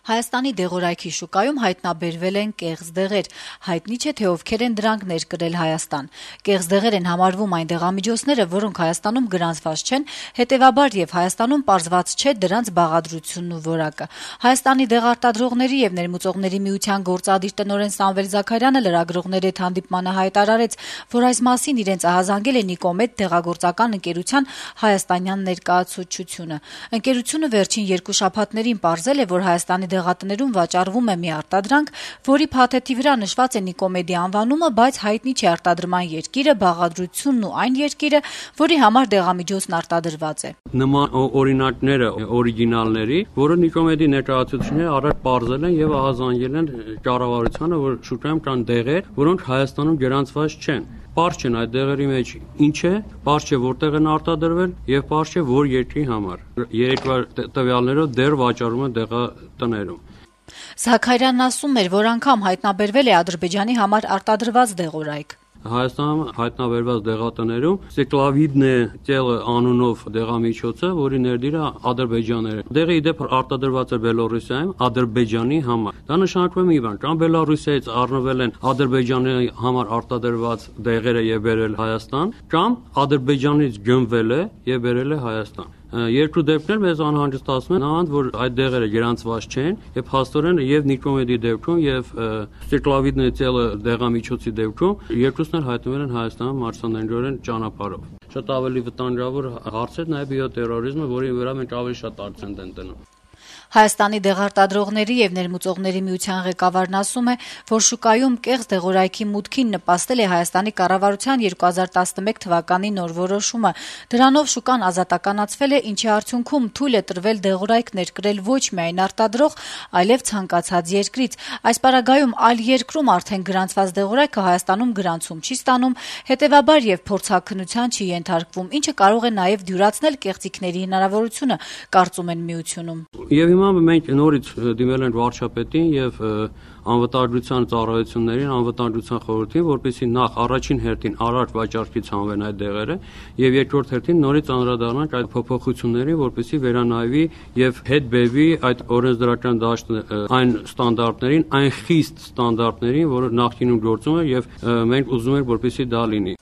Հայաստանի դեղորայքի շուկայում հայտնաբերվել են կեղծ դեղեր։ Հայտնի չէ, թե ովքեր են դրանք ներկրել Հայաստան։ Կեղծ դեղեր են համարվում այն դեղամիջոցները, որոնք Հայաստանում գրանցված չեն, հետևաբար եւ Հայաստանում պարզված չէ դրանց բաղադրությունն ու որակը։ Հայաստանի դեղարտադրողների եւ ներմուծողների միության գործադիր տնօրեն Սամվել Զաքարյանը լրագրողների հետ հանդիպմանը հայտարարեց, որ այս մասին իրենց ահազանգել է Նիկոմեդ դեղագործական ընկերության հայաստանյան ներկայացուցչությունը։ Ընկերությունը վերջին 2 շաբաթներին պարզել է, որ Հայաստանի դեղատներում վաճառվում է մի արտադրանք, որի փաթեթի վրա նշված է Նիկոմեդի անվանումը, բայց հայտնի չէ արտադրման երկիրը, բաղադրությունն ու այն երկիրը, որի համար դեղամիջոցն արտադրված է։ Նման օրինակները օրիգինալների, որը Նիկոմեդի ներկայացուցիչները առաջ պարզել են եւ ահազանգել են կառավարությանը, որ շուկայում կան դեղեր, որոնք Հայաստանում գրանցված չեն։ Պարզ չեն այդ դեղերի մեջ ինչ է, պարզ չէ որտեղ են արտադրվել եւ պարզ չէ որ երկրի համար։ Երեկվա տվյալներով դեռ վաճառում են դեղատներում։ Զաքարյանն ասում էր, որ անգամ հայտնաբերվել է Ադրբեջանի համար արտադրված դեղորայք։ Հայաստանում հայտնաբերված դեղատներում Սեկլավիդնե ծելը անունով դեղամիջոցը, որի ներդիրը Ադրբեջանն է։ Դեղը իդեպ արտադրված է Բելոռուսիայում Ադրբեջանի համար։ Դա նշանակում է մի բան, կամ Բելոռուսիայից առնվել են Ադրբեջանի համար արտադրված դեղերը եւ բերել Հայաստան, կամ Ադրբեջանից գնվել է եւ բերել է Հայաստան։ Երկու դեպքեր մեզ անհանգստացնում են, նրանց որ այդ դեղերը գրանցված չեն եւ փաստորեն եւ Նիկոմեդի դեպքում եւ Սեկլավիդնե ծելը դեղամիջոցի դեպքում երկուսն էլ հայտնվել են Հայաստանում մարդասաներորեն ճանապարհով։ Շատ ավելի վտանգավոր հարց է նաեւ բիոտերորիզմը, որի վրա մենք ավելի շատ акցենտ ենք դնում։ Հայաստանի դեղարտադրողների եւ ներմուծողների միության ղեկավարն ասում է, որ շուկայում կեղծ դեղորայքի մուտքին նպաստել է Հայաստանի կառավարության 2011 թվականի նոր որոշումը։ Դրանով շուկան ազատականացվել է, ինչի արդյունքում թույլ է տրվել դեղորայք ներկրել ոչ միայն արտադրող, այլև ցանկացած երկրից։ Այս պարագայում այլ երկրում արդեն գրանցված դեղորայքը Հայաստանում գրանցում չի ստանում, հետեւաբար եւ փորձաքննության չի ենթարկվում, ինչը կարող է նաեւ դյուրացնել կեղծիքների հնարավորությունը, կարծում են միությունում։ Եվ հիմա մենք նորից դիմել ենք վարչապետին եւ անվտանգության ծառայություններին, անվտանգության խորհրդին, որպեսզի նախ առաջին հերթին առաջ վաճառքից հանվեն այդ դեղերը եւ երկրորդ հերթին նորից անդրադառնանք այդ փոփոխություններին, որպեսզի վերանայվի եւ հետ բերվի այդ օրենսդրական դաշտը այն ստանդարտներին, այն խիստ ստանդարտներին, որը նախկինում գործում էր եւ մենք ուզում ենք, որպեսզի դա լինի։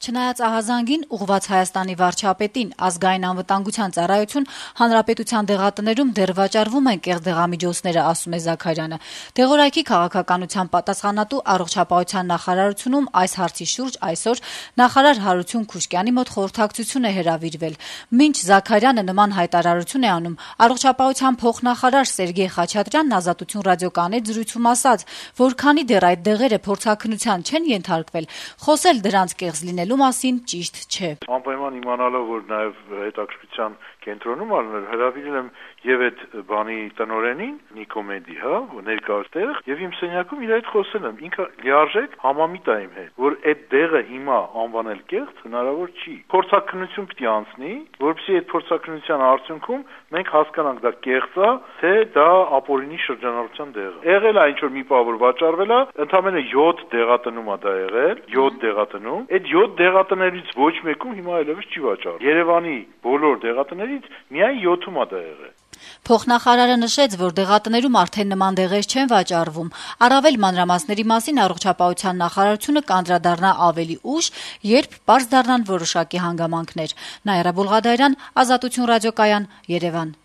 Չնայած ահազանգին ուղղված Հայաստանի վարչապետին ազգային անվտանգության ծառայություն հանրապետության դեղատներում դեռ վաճառվում են կեղծ դեղամիջոցները, ասում է Զաքարյանը։ Դեղորայքի քաղաքականության պատասխանատու առողջապահության նախարարությունում այս հարցի շուրջ այսօր նախարար Հարություն Քուշկյանի մոտ խորհրդակցություն է հրավիրվել։ Մինչ Զաքարյանը նման հայտարարություն է անում, առողջապահության փոխնախարար Սերգեյ Խաչատրյանն Ազատություն ռադիոկայանի զրույցում ասաց, որ քանի դեռ այդ դեղերը փորձաքննության չեն ենթարկվել, խոսել դրանց կեղծ լինելու մասին ճիշտ չէ։ Անպայման իմանալով, որ նաև հետաքրքրության կենտրոնում առնել հրավիրել եմ եւ այդ բանի տնօրենին Նիկոմեդի, ներկայացտեղ եւ իմ սենյակում իր հետ խոսել եմ։ Ինքը լիարժեք համամիտ է իմ հետ, որ այդ դեղը հիմա անվանել կեղծ հնարավոր չի։ Փորձաքննություն պիտի անցնի, որովհետեւ այդ փորձաքննության արդյունքում մենք հասկանանք դա կեղծ է, թե դա ապօրինի շրջանառության դեղ է։ Եղել է ինչ որ մի բան որ վաճառվել է, ընդամենը 7 դեղատնում է դա եղել, 7 դեղատնում։ Այդ 7 դեղատներից ոչ մեկում հիմա այլևս չի վաճառվում։ Երևանի բոլոր դեղատներից միայն 7-ում է դա եղել։ Փոխնախարարը նշեց, որ դեղատներում արդեն նման դեղեր չեն վաճառվում։ Առավել մանրամասների մասին առողջապահության նախարարությունը կանդրադառնա ավելի ուշ, երբ պարզ դառնան որոշակի հանգամանքներ։ Նաիրա Բուլղադարյան, Ազատություն ռադիոկայան, Երևան։